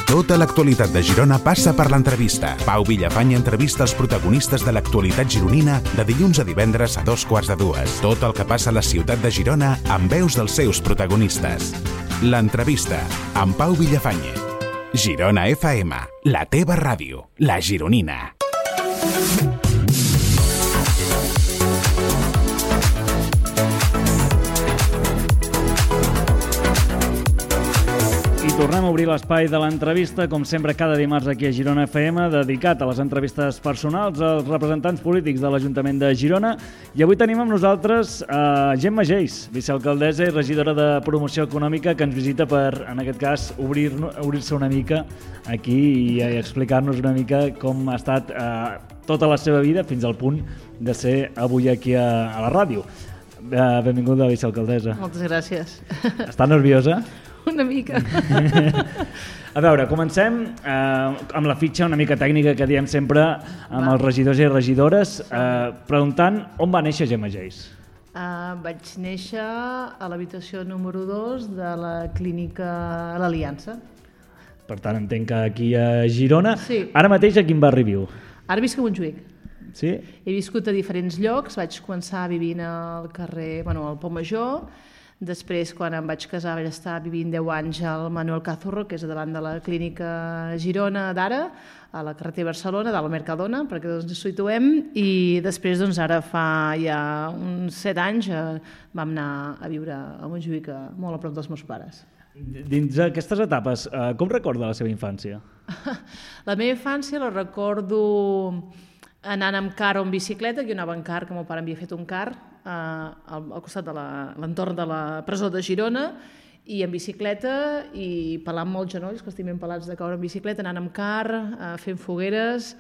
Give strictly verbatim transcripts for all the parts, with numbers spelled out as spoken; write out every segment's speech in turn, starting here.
Tota l'actualitat de Girona passa per l'entrevista. Pau Villafany entrevista els protagonistes de l'actualitat gironina de dilluns a divendres a dos quarts de dues. Tot el que passa a la ciutat de Girona amb veus dels seus protagonistes. L'entrevista amb Pau Villafany. Girona F M, la teva ràdio, la gironina. Tornem a obrir l'espai de l'entrevista, com sempre, cada dimarts aquí a Girona F M, dedicat a les entrevistes personals als representants polítics de l'Ajuntament de Girona. I avui tenim amb nosaltres a Gemma Geis, vicealcaldessa i regidora de Promoció Econòmica, que ens visita per, en aquest cas, obrir, obrir-se una mica aquí i explicar-nos una mica com ha estat eh, tota la seva vida fins al punt de ser avui aquí a, a la ràdio. Eh, benvinguda, vicealcaldessa. Moltes gràcies. Està nerviosa? Una mica. A veure, comencem eh, amb la fitxa una mica tècnica que diem sempre amb Va. els regidors i regidores, eh, preguntant on va néixer Gemma Geis. Uh, vaig néixer a l'habitació número dos de la clínica a l'Aliança. Per tant, entenc que aquí a Girona. Sí. Ara mateix a quin barri viu? Ara visc a Montjuïc. Sí? He viscut a diferents llocs, vaig començar vivint al carrer, bueno, al Pont Major. Després, quan em vaig casar, vaig estar vivint deu anys al Manuel Cazorro, que és davant de la clínica Girona d'ara, a la carretera Barcelona, dalt al Mercadona, perquè doncs ens situem, i després, doncs, ara fa ja uns set anys eh, vam anar a viure a Montjuïc, molt a prop dels meus pares. Dins d'aquestes etapes, eh, com recorda la seva infància? La meva infància la recordo anant amb car o en bicicleta, que jo anava en car, que el meu pare m'havia fet un car, eh, al, al costat de l'entorn de la presó de Girona, i en bicicleta, i pelant molts genolls, que estic ben pelats de caure en bicicleta, anant amb car, eh, fent fogueres,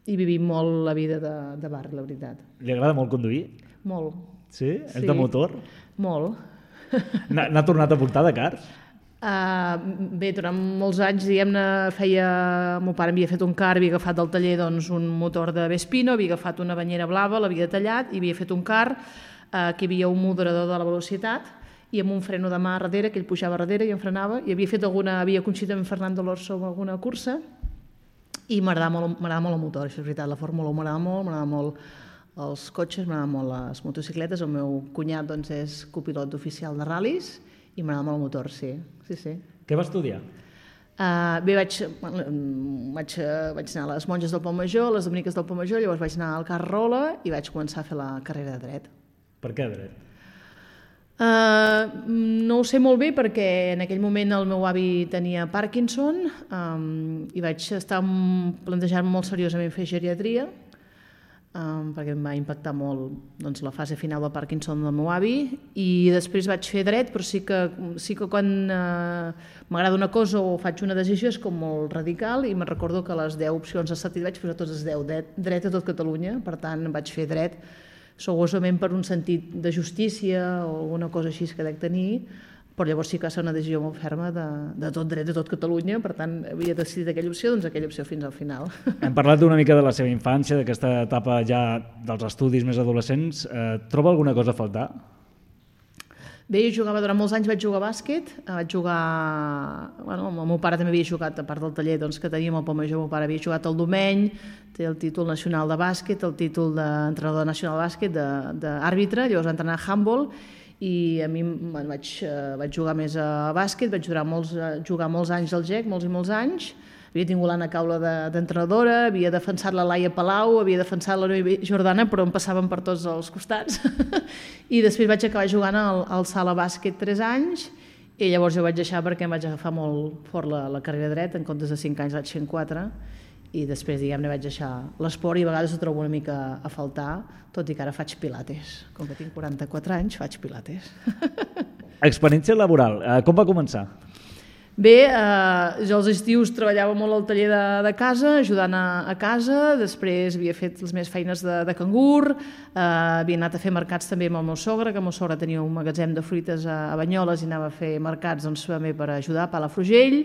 i vivint molt la vida de, de barri, la veritat. Li agrada molt conduir? Molt. Sí? És de motor? Molt. N'ha tornat a portar de cars? Uh, bé, durant molts anys, diguem-ne, feia... El meu pare havia fet un car, havia agafat del taller doncs, un motor de Vespino, havia agafat una banyera blava, l'havia tallat i havia fet un car uh, que hi havia un moderador de la velocitat i amb un freno de mà darrere, que ell pujava darrere i em frenava, i havia fet alguna... havia coincidit amb Fernando Alonso amb alguna cursa i m'agradava molt, m'agradava molt el motor, això és veritat, la Fórmula un m'agradava molt, m'agradava molt els cotxes, m'agradaven molt les motocicletes, el meu cunyat doncs, és copilot oficial de ral·lis i m'agrada molt el motor, sí. sí, sí. Què va estudiar? Uh, bé, vaig, vaig, vaig anar a les monges del Pont Major, a les dominiques del Pont Major, llavors vaig anar al Carrola i vaig començar a fer la carrera de dret. Per què dret? Uh, no ho sé molt bé perquè en aquell moment el meu avi tenia Parkinson um, i vaig estar plantejant molt seriosament fer geriatria, Um, perquè em va impactar molt doncs, la fase final del Parkinson del meu avi, i després vaig fer dret, però sí que, sí que quan uh, m'agrada una cosa o faig una decisió és com molt radical, i me'n recordo que a les deu opcions de sentit vaig posar totes les deu, dret, dret a tot Catalunya, per tant vaig fer dret segurament per un sentit de justícia o alguna cosa així que dec tenir, però llavors sí que va ser una decisió molt ferma de, de tot dret de tot Catalunya, per tant havia decidit aquella opció, doncs aquella opció fins al final. Hem parlat una mica de la seva infància, d'aquesta etapa ja dels estudis més adolescents. Eh, troba alguna cosa a faltar? Bé, jo jugava durant molts anys, vaig jugar a bàsquet, vaig jugar... Bueno, el meu pare també havia jugat, a part del taller doncs, que teníem al Pont Major, el meu pare havia jugat al Domeny, té el títol nacional de bàsquet, el títol d'entrenador nacional de bàsquet, d'àrbitre, llavors va entrenar a handball, i a mi bueno, vaig, uh, vaig jugar més a bàsquet, vaig jugar molts, uh, jugar molts anys al G E C, molts i molts anys, havia tingut l'Anna Caula d'entrenadora, de, havia defensat la Laia Palau, havia defensat la Noemi Jordana, però em passaven per tots els costats, i després vaig acabar jugant al, al Sala Bàsquet tres anys, i llavors jo vaig deixar perquè em vaig agafar molt fort la, la carrera dret, en comptes de cinc anys vaig fent quatre, i després, diguem-ne, vaig deixar l'esport i a vegades ho trobo una mica a faltar, tot i que ara faig pilates. Com que tinc quaranta-quatre anys, faig pilates. Experiència laboral, eh, com va començar? Bé, eh, jo als estius treballava molt al taller de, de casa, ajudant a, a casa, després havia fet les meves feines de, de cangur, eh, havia anat a fer mercats també amb el meu sogre, que el meu sogre tenia un magatzem de fruites a, a Banyoles i anava a fer mercats doncs, també per ajudar a Palafrugell.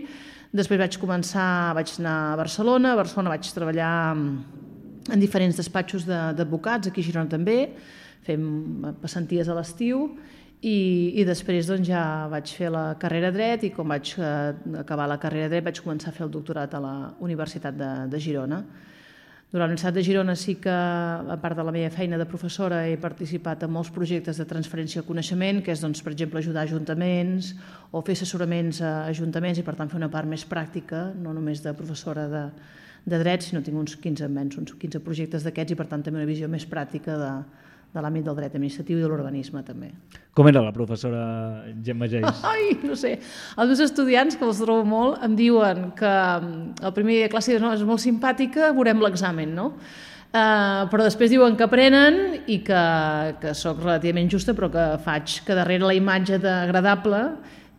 Després vaig començar, vaig anar a Barcelona, a Barcelona vaig treballar en diferents despatxos d'advocats, aquí a Girona també, fem passanties a l'estiu, i, i després doncs, ja vaig fer la carrera de dret i quan vaig eh, acabar la carrera de dret vaig començar a fer el doctorat a la Universitat de, de Girona. Durant la Universitat de Girona sí que, a part de la meva feina de professora, he participat en molts projectes de transferència de coneixement, que és, doncs, per exemple, ajudar ajuntaments o fer assessoraments a ajuntaments i, per tant, fer una part més pràctica, no només de professora de, de dret, sinó tinc uns quinze, menys, uns quinze projectes d'aquests i, per tant, també una visió més pràctica de, de l'àmbit del dret administratiu i de l'urbanisme, també. Com era la professora Gemma Geis? Ai, no sé. Els meus estudiants, que els trobo molt, em diuen que el primer dia de classe no, és molt simpàtica, veurem l'examen, no? Uh, però després diuen que aprenen i que, que sóc relativament justa, però que faig que darrere la imatge agradable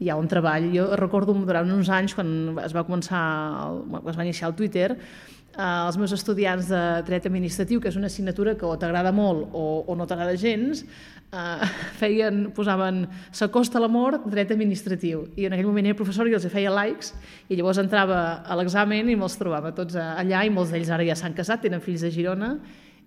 hi ha un treball. Jo recordo durant uns anys, quan es va començar, es va iniciar el Twitter, Uh, els meus estudiants de dret administratiu, que és una assignatura que o t'agrada molt o, o no t'agrada gens, uh, feien, posaven s'acosta l'amor, dret administratiu. I en aquell moment era professor i els feia likes i llavors entrava a l'examen i me'ls trobava tots allà i molts d'ells ara ja s'han casat, tenen fills a Girona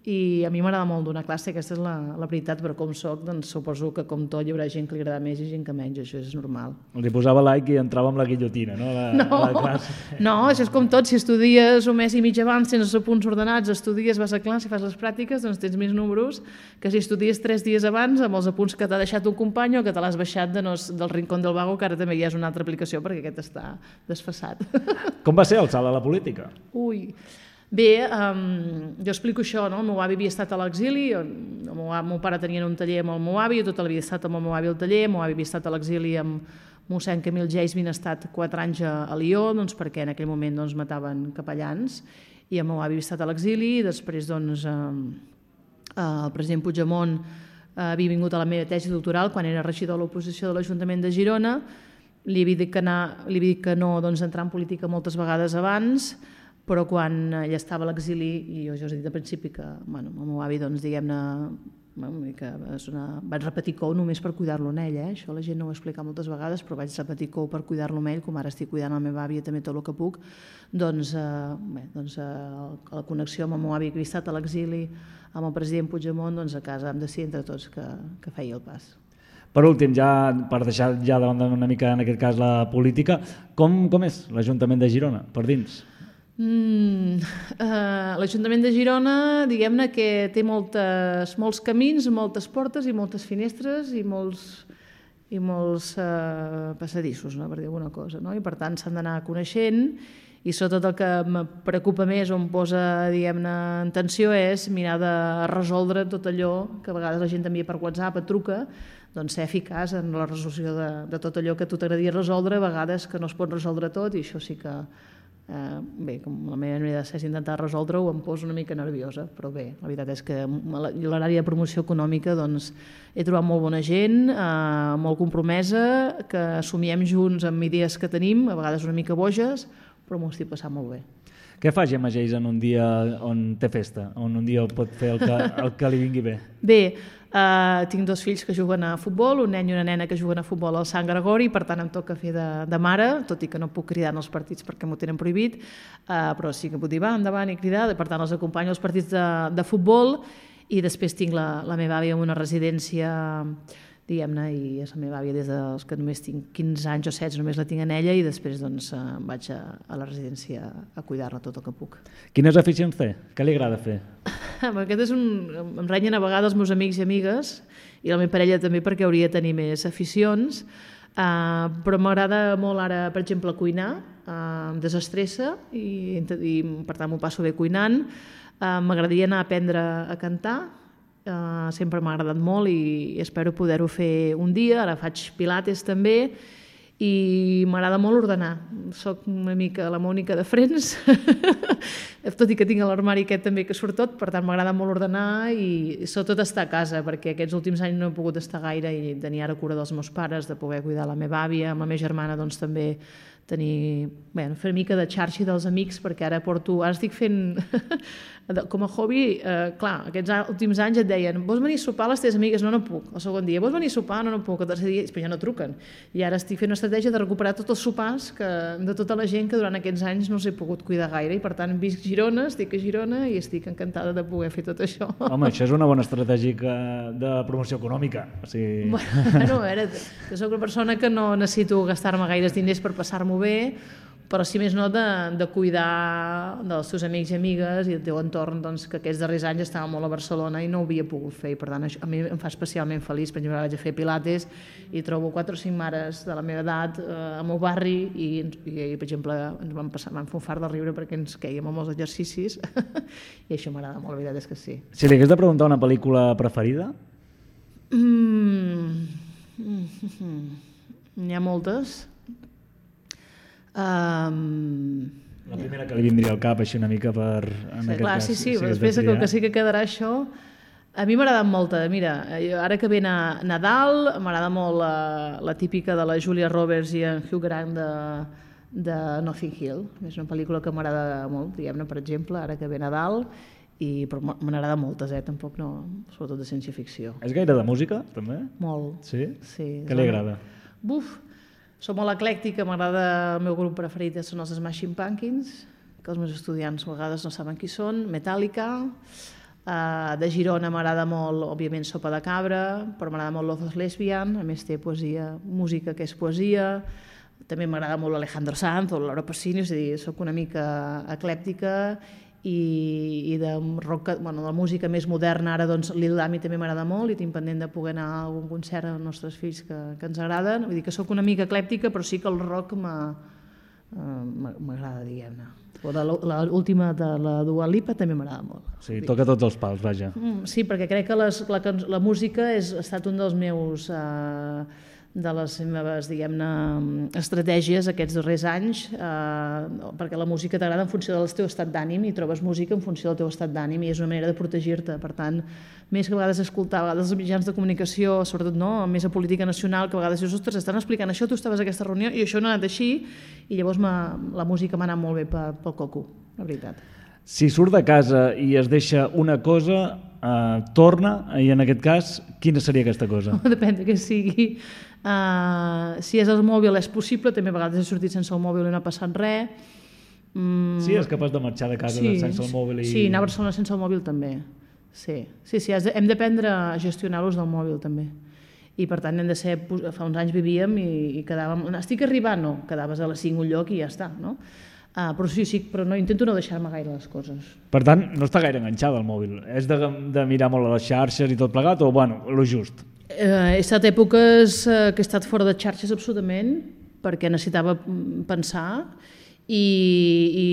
i a mi m'agrada molt donar classe, aquesta és la, la veritat, però com soc, doncs suposo que com tot hi haurà gent que li agrada més i gent que menys, això és normal. Els hi posava like i entrava amb la guillotina, no? La, no, la classe. No, això és com tot, si estudies un mes i mig abans, tens els apunts ordenats, estudies, vas a classe, fas les pràctiques, doncs tens més números que si estudies tres dies abans amb els apunts que t'ha deixat un company o que te l'has baixat de no, del Rincón del Vago, que ara també ja és una altra aplicació perquè aquest està desfasat. Com va ser el salt a la política? Ui... Bé, um, jo explico això, no? El meu avi havia estat a l'exili, el meu, el meu pare tenia un taller amb el meu avi, jo tota la vida he estat amb el meu avi al taller, el meu avi havia estat a l'exili amb mossèn Camil Geis, havien estat quatre anys a, a Lió, doncs, perquè en aquell moment doncs, mataven capellans, i el meu avi havia estat a l'exili, i després doncs, eh, el president Puigdemont eh, havia vingut a la meva tesi doctoral quan era regidor de l'oposició de l'Ajuntament de Girona, li havia dit que, anar, li havia dit que no doncs, entrar en política moltes vegades abans, però quan ell estava a l'exili, i jo ja us he dit al principi que bueno, el meu avi, doncs, diguem-ne, que una... vaig repetir cou només per cuidar-lo en ell, eh? Això la gent no ho ha explicat moltes vegades, però vaig repetir cou per cuidar-lo en ell, com ara estic cuidant la meva àvia també tot el que puc, doncs, eh, bé, doncs eh, la connexió amb el meu avi que havia estat a l'exili, amb el president Puigdemont, doncs a casa hem de decidir entre tots que, que feia el pas. Per últim, ja per deixar ja de banda una mica en aquest cas la política, com, com és l'Ajuntament de Girona, per dins? Mm, uh, L'Ajuntament de Girona, diguem-ne que té moltes, molts camins, moltes portes i moltes finestres i molts, i molts uh, passadissos, no? Per dir alguna cosa, no? I per tant s'han d'anar coneixent i sobretot el que em preocupa més o em posa, diguem-ne, en tensió és mirar de resoldre tot allò que a vegades la gent t'envia per WhatsApp, et truca, doncs ser eficaç en la resolució de, de tot allò que a tu t'agradaria resoldre, a vegades que no es pot resoldre tot i això sí que Uh, bé, com la meva manera de ser és intentar resoldre-ho, em poso una mica nerviosa, però bé, la veritat és que l'àrea de promoció econòmica doncs, he trobat molt bona gent, uh, molt compromesa, que assumiem junts amb idees que tenim, a vegades una mica boges, però m'ho estic passant molt bé. Què fa Gemma Geis en un dia on té festa, on un dia pot fer el que, el que li vingui bé? Bé, uh, tinc dos fills que juguen a futbol, un nen i una nena que juguen a futbol al Sant Gregori, per tant em toca fer de, de mare, tot i que no puc cridar en els partits perquè m'ho tenen prohibit, uh, però sí que puc dir va, endavant i cridar, per tant els acompanyo als partits de, de futbol i després tinc la, la meva àvia en una residència, diguem-ne, i és la meva àvia des dels que només tinc quinze anys o setze, només la tinc en ella i després doncs, vaig a, a la residència a cuidar-la tot el que puc. Quines aficions té? Què li agrada fer? Aquest és un... Em renyen a vegades els meus amics i amigues i la meva parella també perquè hauria de tenir més aficions, uh, però m'agrada molt ara, per exemple, cuinar, uh, em desestressa i, i per tant m'ho passo bé cuinant. Uh, m'agradaria anar a aprendre a cantar, Uh, sempre m'ha agradat molt i espero poder-ho fer un dia. Ara faig pilates també i m'agrada molt ordenar. Soc una mica la Mònica de Friends, tot i que tinc l'armari aquest també que surt tot, per tant m'agrada molt ordenar i sobretot estar a casa, perquè aquests últims anys no he pogut estar gaire i tenir ara cura dels meus pares, de poder cuidar la meva àvia, amb la meva germana doncs també tenir, bé, fer una mica de xarxa dels amics, perquè ara porto, ara estic fent, com a hobby, eh, clar, aquests últims anys et deien, vols venir a sopar a les teves amigues? No, no puc. El segon dia, vols venir a sopar? No, no puc. El tercer dia, però ja no truquen. I ara estic fent una estratègia de recuperar tots els sopars que, de tota la gent que durant aquests anys no us he pogut cuidar gaire, i per tant visc Girona, estic a Girona i estic encantada de poder fer tot això. Home, això és una bona estratègia de promoció econòmica. O sigui... Bueno, a veure, jo soc una persona que no necessito gastar-me gaires diners per passar-m'ho bé, però si més no de, de cuidar dels teus amics i amigues i del teu entorn, doncs, que aquests darrers anys estava molt a Barcelona i no ho havia pogut fer, i per tant això a mi em fa especialment feliç. Per exemple, vaig a fer pilates i trobo quatre o cinc mares de la meva edat eh, al meu barri i, i, i per exemple, ens vam, passar, vam fer un fart de riure perquè ens quèiem amb els exercicis i això m'agrada molt, la veritat és que sí. Si li hagués de preguntar una pel·lícula preferida? Mm. Mm-hmm. N'hi ha moltes. Um... La primera que li vindria al cap, així una mica per... En sí, aquest clar, cas, sí, sí, si després que, que sí que quedarà això. A mi m'agrada molt, mira, ara que ve a Nadal, m'agrada molt la, la típica de la Julia Roberts i en Hugh Grant de, de Notting Hill. És una pel·lícula que m'agrada molt, diguem-ne, per exemple, ara que ve Nadal, i, però me n'agrada moltes, eh? Tampoc no, sobretot de ciència-ficció. És gaire de música, també? Molt. Sí? Sí. Què li agrada? Buf! Soc molt eclèctica, m'agrada, el meu grup preferit són els Smashing Pumpkins, que els meus estudiants a vegades no saben qui són, Metallica, uh, de Girona m'agrada molt, òbviament, Sopa de Cabra, però m'agrada molt Love of Lesbian, a més té poesia, música que és poesia, també m'agrada molt Alejandro Sanz o Laura Pausini, és a dir, soc una mica eclèctica, i, i de, rock, bueno, de la música més moderna ara doncs Lil Dami també m'agrada molt i tinc pendent de poder anar a algun concert als nostres fills que, que ens agraden, vull dir que sóc una mica eclèptica però sí que el rock m'agrada, diguem-ne. O de l'última de la Dua Lipa també m'agrada molt. Sí, toca tots els pals, vaja. Sí, perquè crec que les, la, la música és, ha estat un dels meus eh, de les meves, diguem-ne, estratègies aquests darrers anys, eh, perquè la música t'agrada en funció del teu estat d'ànim i trobes música en funció del teu estat d'ànim i és una manera de protegir-te. Per tant, més que a vegades escoltar, a vegades els mitjans de comunicació, sobretot no, més a política nacional, que a vegades dius, ostres, estan explicant això, tu estaves a aquesta reunió i això no ha anat així, i llavors la música m'ha anat molt bé pel coco, la veritat. Si surt de casa i es deixa una cosa, eh, torna, i en aquest cas, quina seria aquesta cosa? Depèn de què sigui. Uh, si és el mòbil és possible, també a vegades he sortit sense el mòbil i no ha passat res. Mm. Sí, és capaç de marxar de casa sí, sense el mòbil. I... Sí, anar a Barcelona sense el mòbil també. Sí, sí, sí de, hem d'aprendre a gestionar l'ús del mòbil també. I per tant hem de ser, fa uns anys vivíem i, i quedàvem, estic arribant, no, quedaves a les cinc un lloc i ja està, no? Uh, però sí, sí, però no, intento no deixar-me gaire les coses. Per tant, no està gaire enganxada al mòbil. És de, de mirar molt a les xarxes i tot plegat o, bueno, lo just? Uh, he estat èpoques uh, que he estat fora de xarxes absolutament perquè necessitava pensar i, i,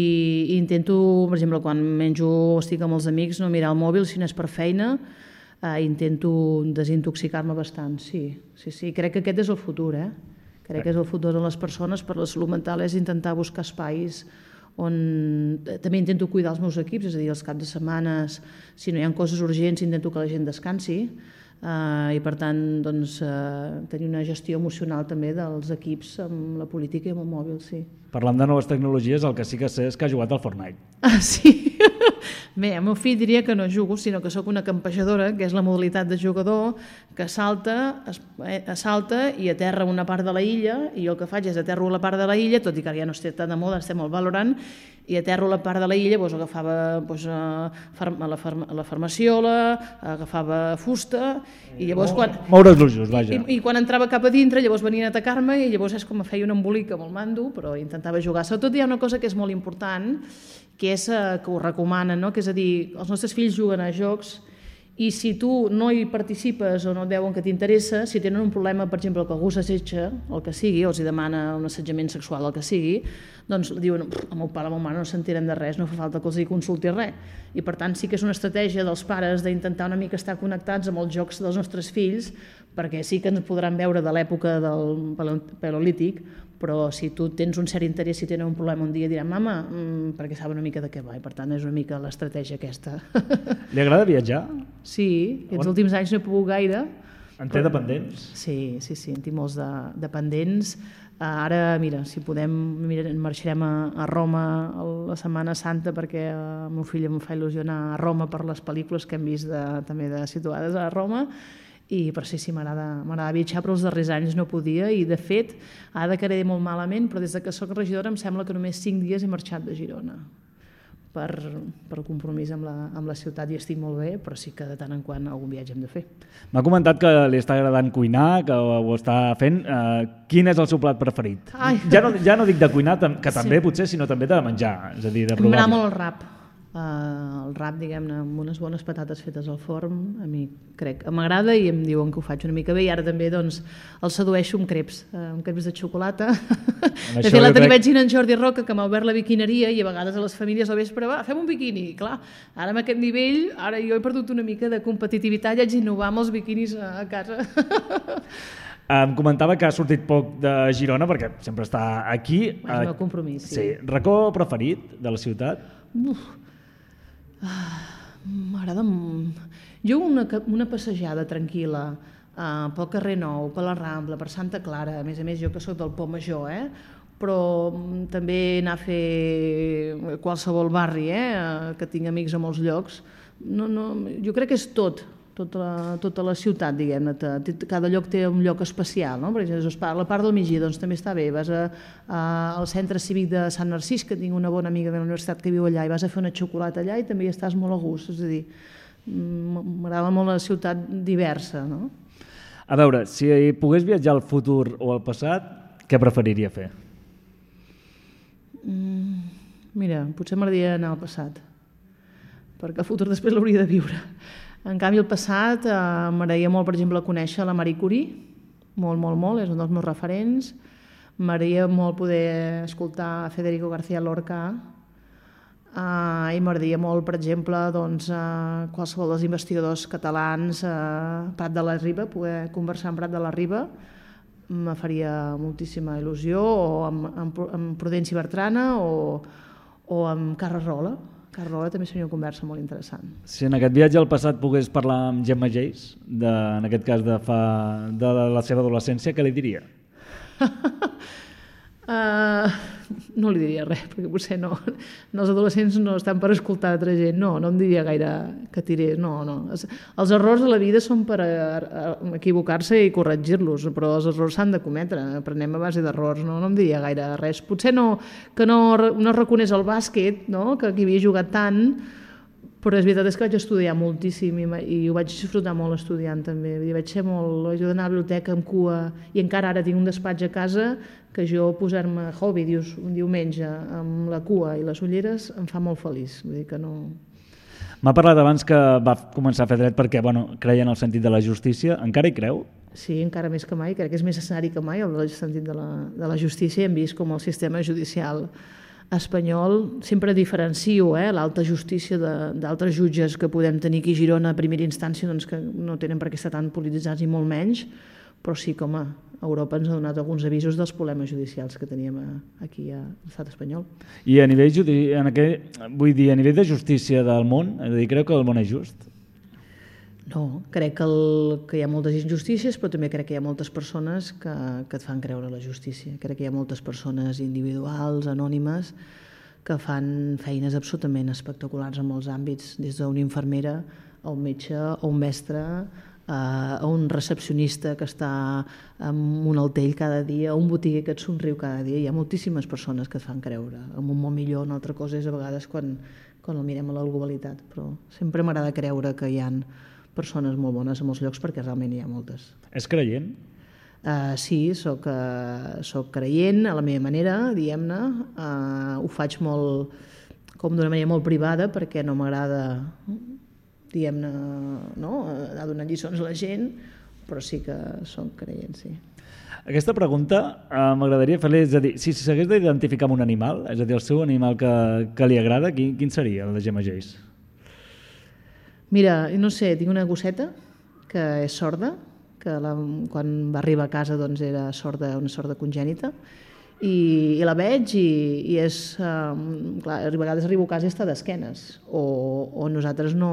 i intento, per exemple, quan menjo o estic amb els amics, no mirar el mòbil si no és per feina, uh, intento desintoxicar-me bastant, sí, sí, sí. Crec que aquest és el futur, eh? Crec que és el futur de les persones, per la salut mental és intentar buscar espais on també intento cuidar els meus equips, és a dir, els caps de setmanes, si no hi ha coses urgents, intento que la gent descansi, Uh, i per tant doncs, uh, tenir una gestió emocional també dels equips amb la política i amb el mòbil, sí. Parlant de noves tecnologies, el que sí que sé és que ha jugat al Fortnite. Ah, sí? Bé, el meu fill diria que no jugo, sinó que sóc una campejadora, que és la modalitat de jugador, que salta, es, eh, salta i aterra una part de la illa, i jo el que faig és aterro la part de la illa, tot i que ja no estic tan de moda, estem al Valorant, i aterro la part de la illa, doncs agafava doncs, a, a, la farma, a la farmaciola, agafava fusta, i llavors quan... Moure els ulls, vaja. I, I quan entrava cap a dintre, llavors venien a atacar-me, i llavors és com feia un embolic amb el mando, però intentava jugar. Sobretot hi ha una cosa que és molt important, que és eh, que ho recomanen, no? Que és a dir, els nostres fills juguen a jocs i si tu no hi participes o no et veuen que t'interessa, si tenen un problema, per exemple, que algú s'assetja, el que sigui, o els demana un assetjament sexual, el que sigui, doncs diuen, el meu pare o la meva mare no sentirem de res, no fa falta que els hi consulti res. I per tant sí que és una estratègia dels pares d'intentar una mica estar connectats amb els jocs dels nostres fills, perquè sí que ens podran veure de l'època del paleolític, però si tu tens un cert interès, si tenen un problema un dia, diran, mama, mmm, perquè saben una mica de què va, i per tant és una mica l'estratègia aquesta. Li agrada viatjar? Sí, aquests últims anys no he pogut gaire, En té dependents? Sí, sí, sí, en tinc molts de dependents. Ara, mira, si podem, mira, marxarem a, a Roma la Setmana Santa perquè el meu fill em fa il·lusió anar a Roma per les pel·lícules que hem vist de, també de situades a Roma, i però sí, sí, m'agrada viatjar, però els darrers anys no podia, i de fet, ara quedaré molt malament, però des de que soc regidora em sembla que només cinc dies he marxat de Girona per, per compromís amb la, amb la ciutat, i estic molt bé, però sí que de tant en quant algun viatge hem de fer. M'ha comentat que li està agradant cuinar, que ho està fent. Uh, quin és el seu plat preferit? Ja no, ja no dic de cuinar, que també sí. Potser, sinó també de menjar, és a dir, de provar. M'agrada molt el rap. Uh, el rap, diguem-ne, amb unes bones patates fetes al forn, a mi crec, m'agrada i em diuen que ho faig una mica bé, i ara també doncs, el sedueixo amb creps, uh, amb creps de xocolata. De fet, l'altre crec... vaig dir en Jordi Roca, que m'ha obert la biquineria, i a vegades a les famílies al vespre, va, fem un biquini. I clar, ara amb aquest nivell, ara jo he perdut una mica de competitivitat i haig d'innovar amb els biquinis a, a casa. Em comentava que ha sortit poc de Girona, perquè sempre està aquí. És el meu compromís, sí. Sí. Racó preferit de la ciutat? Uf. Ah, m'agrada... Jo una, una passejada tranquil·la uh, pel carrer Nou, per la Rambla, per Santa Clara, a més a més jo que soc del Pont Major, eh? Però també anar a fer qualsevol barri, eh? Que tinc amics a molts llocs, no, no, jo crec que és tot, tota la, tota la ciutat, diguem-ne, cada lloc té un lloc especial, no? Per exemple, la part del migdia doncs, també està bé, vas a, a, al centre cívic de Sant Narcís, que tinc una bona amiga de la universitat que viu allà, i vas a fer una xocolata allà i també hi estàs molt a gust, és a dir, m'agrada molt la ciutat diversa, no? A veure, si pogués viatjar al futur o al passat, què preferiria fer? Mm, mira, potser m'agradaria anar al passat, perquè el futur després l'hauria de viure. En canvi, el passat eh, m'agradaria molt, per exemple, conèixer la Marie Curie, molt, molt, molt, és un dels meus referents. M'agradaria molt poder escoltar Federico García Lorca, eh, i m'agradaria molt, per exemple, doncs, eh, qualsevol dels investigadors catalans, eh, Prat de la Riba, poder conversar amb Prat de la Riba, me faria moltíssima il·lusió, o amb, amb, amb Prudenci Bertrana, o, o amb Carles Rola. Carrola també seria una conversa molt interessant. Si en aquest viatge al passat pogués parlar amb Gemma Geis, de, en aquest cas de, fa, de la seva adolescència, què li diria? uh, no li diria res, perquè potser no, no, els adolescents no estan per escoltar altra gent, no, no em diria gaire que tirés, no, no. Els, els errors de la vida són per a, a equivocar-se i corregir-los, però els errors s'han de cometre, aprenem a base d'errors, no, no em diria gaire res. Potser no, que no, no reconeix el bàsquet, no? Que aquí havia jugat tant, però és veritat és que vaig estudiar moltíssim i, i ho vaig disfrutar molt estudiant també. Vaig ser molt, vaig anar a la biblioteca amb cua, i encara ara tinc un despatx a casa que jo posar-me hobby dius, un diumenge amb la cua i les ulleres em fa molt feliç. Vull dir que no... M'ha parlat abans que va començar a fer dret perquè bueno, creia en el sentit de la justícia. Encara hi creu? Sí, encara més que mai. Crec que és més necessari que mai el sentit de la, de la justícia. Hem vist com el sistema judicial espanyol, sempre diferencio eh, l'alta justícia d'altres jutges que podem tenir aquí a Girona a primera instància, doncs, que no tenen per què estar tan polititzats i molt menys, però sí que home, Europa ens ha donat alguns avisos dels problemes judicials que teníem aquí a l'estat espanyol. I a nivell, en aquell, vull dir, a nivell de justícia del món, és a dir, creu que el món és just? No, crec que, el, que hi ha moltes injustícies, però també crec que hi ha moltes persones que, que et fan creure la justícia. Crec que hi ha moltes persones individuals, anònimes, que fan feines absolutament espectaculars en molts àmbits, des d'una infermera a un metge, a un mestre, a un recepcionista que està amb un altell cada dia, a un botiguer que et somriu cada dia. Hi ha moltíssimes persones que et fan creure en un món millor. Una altra cosa és a vegades quan, quan el mirem a la globalitat, però sempre m'agrada creure que hi ha persones molt bones a molts llocs perquè realment hi ha moltes. És creient? Uh, sí, soc, uh, soc creient a la meva manera, diguem-ne. Uh, ho faig molt, com d'una manera molt privada perquè no m'agrada, diguem-ne, no? Anar donant lliçons a la gent, però sí que soc creient, sí. Aquesta pregunta uh, m'agradaria fer-li, és a dir, si s'hagués d'identificar amb un animal, és a dir, el seu animal que, que li agrada, quin, quin seria el de Gemma Geis? Mira, no sé, tinc una gosseta que és sorda, que la, quan va arribar a casa doncs era sorda, una sorda congènita, i, i la veig i, i és... Um, clar, a vegades arribo a casa i està d'esquenes. O, o nosaltres no...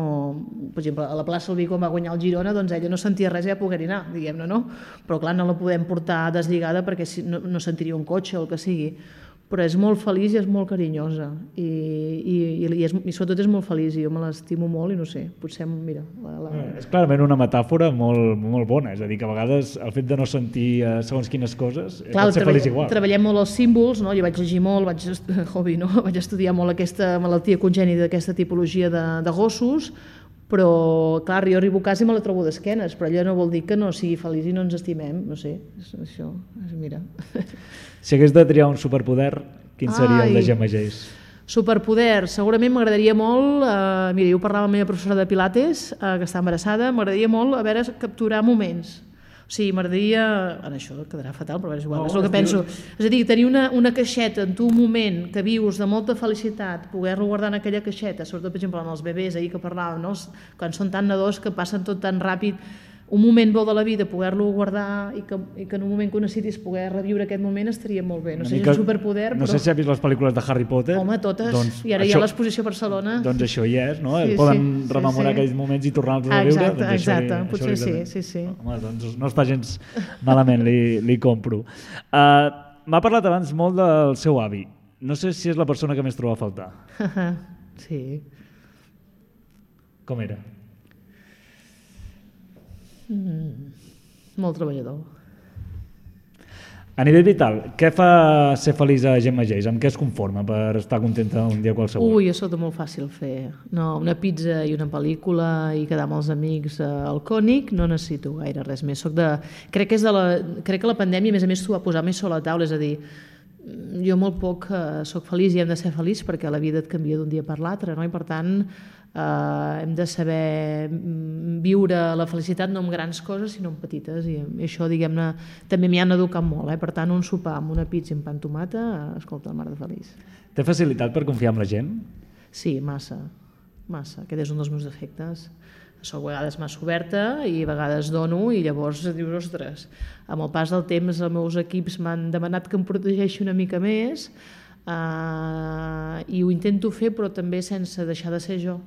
Per exemple, a la plaça Albí, quan va guanyar el Girona, doncs ella no sentia res i ja pogués anar, diguem-ne, no? Però clar, no la podem portar deslligada perquè no, no sentiria un cotxe o el que sigui. Però és molt feliç i és molt carinyosa i, i, i, és, i sobretot és molt feliç i jo me l'estimo molt i no sé, potser, mira... La, la... És clarament una metàfora molt, molt bona, és a dir, que a vegades el fet de no sentir eh, segons quines coses Clar, pot ser feliç igual. Treballem molt els símbols, no? Jo vaig llegir molt, vaig, hobby, no? vaig estudiar molt aquesta malaltia congènita d'aquesta tipologia de, de gossos, però clar, jo arribo a casa i me la trobo d'esquenes, però allò no vol dir que no sigui feliç i no ens estimem, no sé, això, mira... Si hagués de triar un superpoder, quin seria Ai, el de Gemma Geis? Superpoder, segurament m'agradaria molt, eh, mira, jo parlava amb la meva professora de Pilates, eh, que està embarassada, m'agradaria molt a veure, capturar moments. O sigui, m'agradaria... En això quedarà fatal, però és igual, no, és el que penso. És a dir, tenir una, una caixeta en tu un moment que vius de molta felicitat, poder-lo guardar en aquella caixeta, sobretot, per exemple, en els bebès, ahir que parlàvem, no? Quan són tan nadós que passen tot tan ràpid, un moment bo de la vida, poder-lo guardar i que, i que en un moment que ho necessitis poder reviure aquest moment estaria molt bé. No sé si és un superpoder, no però... sé si has vist les pel·lícules de Harry Potter. Home, totes. Doncs I ara això, hi ha l'exposició a Barcelona. Doncs això hi és, no? Sí, Poden sí, rememorar sí, sí. aquells moments i tornar-los a exacte, viure. Doncs exacte, això, potser això sí, sí, sí. Home, doncs no està gens malament, li, li compro. Uh, M'ha parlat abans molt del seu avi. No sé si és la persona que més troba a faltar. Sí. Com era? Mm, molt treballador. A nivell vital, què fa ser feliç a Gemma Geis? Amb què es conforma per estar contenta un dia qualsevol? Ui, això és molt fàcil fer. No, una pizza i una pel·lícula i quedar amb els amics al Cònic, no necessito gaire res més. Soc de... crec, que és de la... crec que la pandèmia, a més a més, t'ho va posar més sobre la taula, és a dir, jo molt poc eh, soc feliç i hem de ser feliç perquè la vida et canvia d'un dia per l'altre, no? I per tant eh, hem de saber viure la felicitat no amb grans coses sinó amb petites i això, diguem-ne, també m'hi han educat molt, eh? Per tant, un sopar amb una pizza i un pa amb tomata, escolta, mar de feliç. Té facilitat per confiar en la gent? Sí, massa, massa. Aquest és un dels meus defectes. Soc a vegades massa oberta i a vegades dono i llavors dius, ostres, amb el pas del temps els meus equips m'han demanat que em protegeixi una mica més eh, i ho intento fer però també sense deixar de ser jo,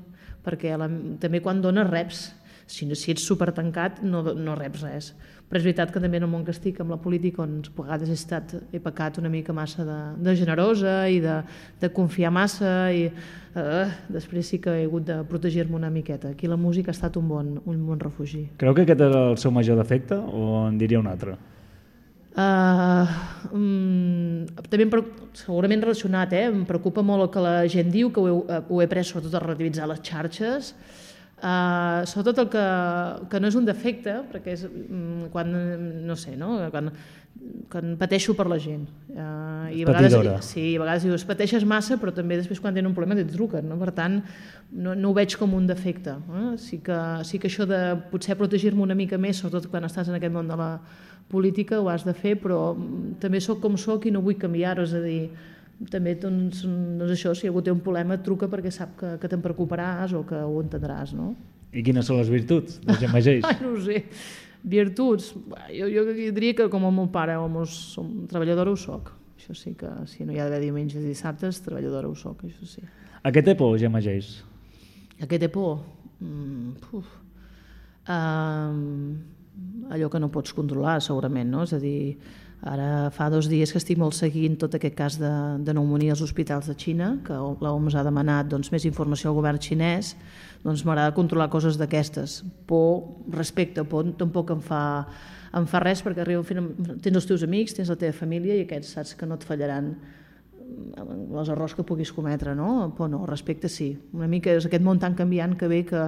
perquè la, també quan dones reps, si, si ets supertancat no, no reps res. Però és veritat que també en el món que estic, amb la política, on a vegades he, estat, he pecat una mica massa de, de generosa i de, de confiar massa i eh, després sí que he hagut de protegir-me una miqueta. Aquí la música ha estat un bon, un bon refugi. Creu que aquest és el seu major defecte o en diria un altre? Uh, um, també em, segurament relacionat, eh? Em preocupa molt el que la gent diu, que ho he, ho he pres sobretot a relativitzar les xarxes. Uh, sobretot el que, que no és un defecte, perquè és um, quan, no sé, no? Quan, quan pateixo per la gent. Uh, i a vegades, sí, a vegades dius, pateixes massa, però també després quan tenen un problema et truquen, no? Per tant, no, no ho veig com un defecte. Eh? Sí, que, sí que això de potser protegir-me una mica més, sobretot quan estàs en aquest món de la política, ho has de fer, però també sóc com sóc i no vull canviar-ho, és a dir, també doncs, doncs això, si algú té un problema et truca perquè sap que, que te'n preocuparàs o que ho entendràs, no? I quines són les virtuts de Gemma Geis? Ai, no ho sé. Virtuts? Jo, jo diria que com el meu pare o el meu som, treballadora ho soc. Això sí que, si no hi ha d'haver diumenges i dissabtes, treballadora ho soc, això sí. A què té por, Gemma Geis? A què té por? Mm, puf. Um, allò que no pots controlar, segurament, no? És a dir, ara fa dos dies que estic molt seguint tot aquest cas de, de pneumònia als hospitals de Xina, que l'O M S ha demanat doncs, més informació al govern xinès, doncs m'agrada controlar coses d'aquestes. Por, respecte, por tampoc em fa, em fa res, perquè arriba, tens els teus amics, tens la teva família i aquests saps que no et fallaran els errors que puguis cometre, no? Por no, respecte sí. Una mica és aquest món tan canviant que ve que,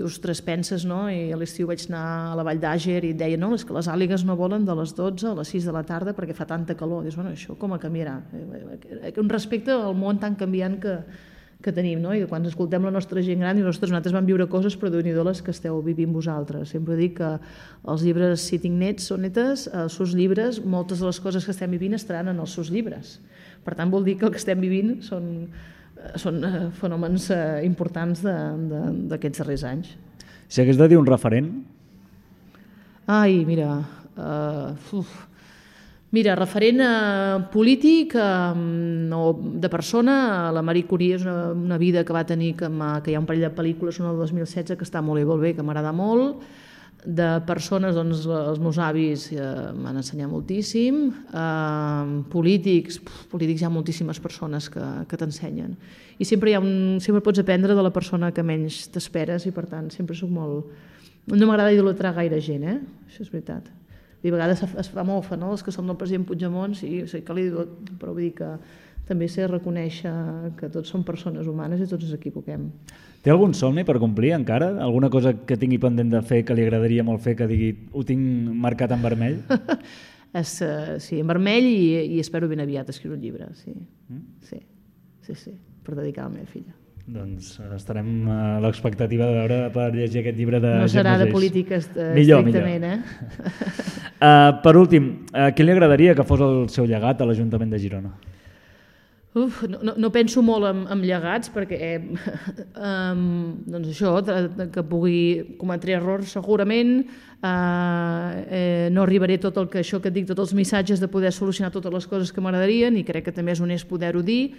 ostres, penses, no? I a l'estiu vaig anar a la Vall d'Àger i et deia, no, és que les àligues no volen de les dotze a les sis de la tarda perquè fa tanta calor. Dius, bueno, això com a canviarà? Un respecte al món tan canviant que, que tenim, no? I quan escoltem la nostra gent gran, i ostres, nosaltres vam viure coses, però déu-n'hi-do les que esteu vivint vosaltres. Sempre dic que els llibres Sitting Nets o netes, els seus llibres, moltes de les coses que estem vivint estaran en els seus llibres. Per tant, vol dir que el que estem vivint són, són fenòmens importants d'aquests darrers anys. Si hagués de dir un referent? Ai, mira, uh, uf, Mira, referent a polític eh, o de persona, la Marie Curie és una, una vida que va tenir, que, que hi ha un parell de pel·lícules, una del dos mil setze, que està molt bé, molt bé, que m'agrada molt. De persones, doncs, els meus avis eh, m'han ensenyat moltíssim. Eh, polítics, pf, polítics hi ha moltíssimes persones que, que t'ensenyen. I sempre, hi ha un, sempre pots aprendre de la persona que menys t'esperes i, per tant, sempre soc molt... No m'agrada idolatrar gaire gent, eh? Això és veritat. I a vegades es fa mofa, no?, els que som del president Puigdemont, sí, sí que li diu, però vull dir que també sé reconèixer que tots som persones humanes i tots ens equivoquem. Té algun somni per complir encara? Alguna cosa que tingui pendent de fer, que li agradaria molt fer, que digui, ho tinc marcat en vermell? es, uh, sí, en vermell i, i espero ben aviat escriure un llibre, sí. Mm? Sí, sí, sí, per dedicar a la meva filla. Doncs estarem a l'expectativa de veure per llegir aquest llibre de No serà Gemma de Geis. polítiques uh, millor, estrictament, millor. eh? uh, per últim, uh, què li agradaria que fos el seu llegat a l'Ajuntament de Girona? Uf, no, no, no penso molt en, en llegats perquè eh, um, doncs això, que pugui cometre errors segurament, eh, eh, no arribaré tot el que això que et dic, tots els missatges de poder solucionar totes les coses que m'agradarien, i crec que també és honest poder-ho dir,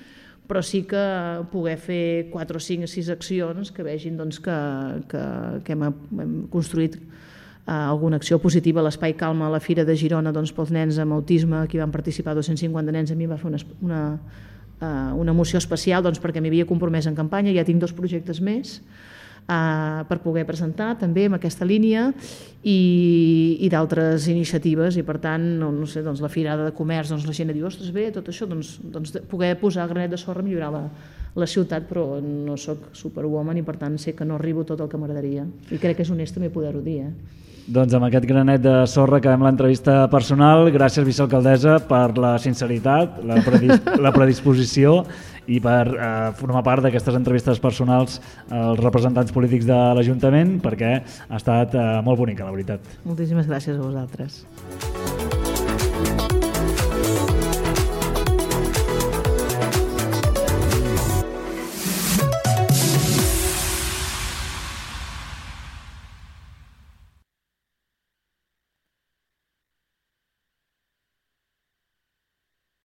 però sí que poder fer quatre o cinc o sis accions que vegin doncs, que, que, que hem, hem construït eh, alguna acció positiva. L'Espai Calma a la Fira de Girona, doncs, pels nens amb autisme, aquí van participar dos-cents cinquanta nens, a mi em va fer una, una, uh, una emoció especial, doncs, perquè m'hi havia compromès en campanya, ja tinc dos projectes més uh, per poder presentar també en aquesta línia, i, i d'altres iniciatives, i per tant, no, no sé, doncs, la Firada de Comerç, doncs, la gent diu, ostres, bé, tot això, doncs, doncs poder posar granet de sorra, millorar la, la ciutat, però no sóc superwoman i per tant sé que no arribo tot el que m'agradaria, i crec que és honest també poder-ho dir, eh? Doncs amb aquest granet de sorra acabem l'entrevista personal. Gràcies, vicealcaldessa, per la sinceritat, la, predis la predisposició i per eh, formar part d'aquestes entrevistes personals als representants polítics de l'Ajuntament, perquè ha estat eh, molt bonica, la veritat. Moltíssimes gràcies a vosaltres.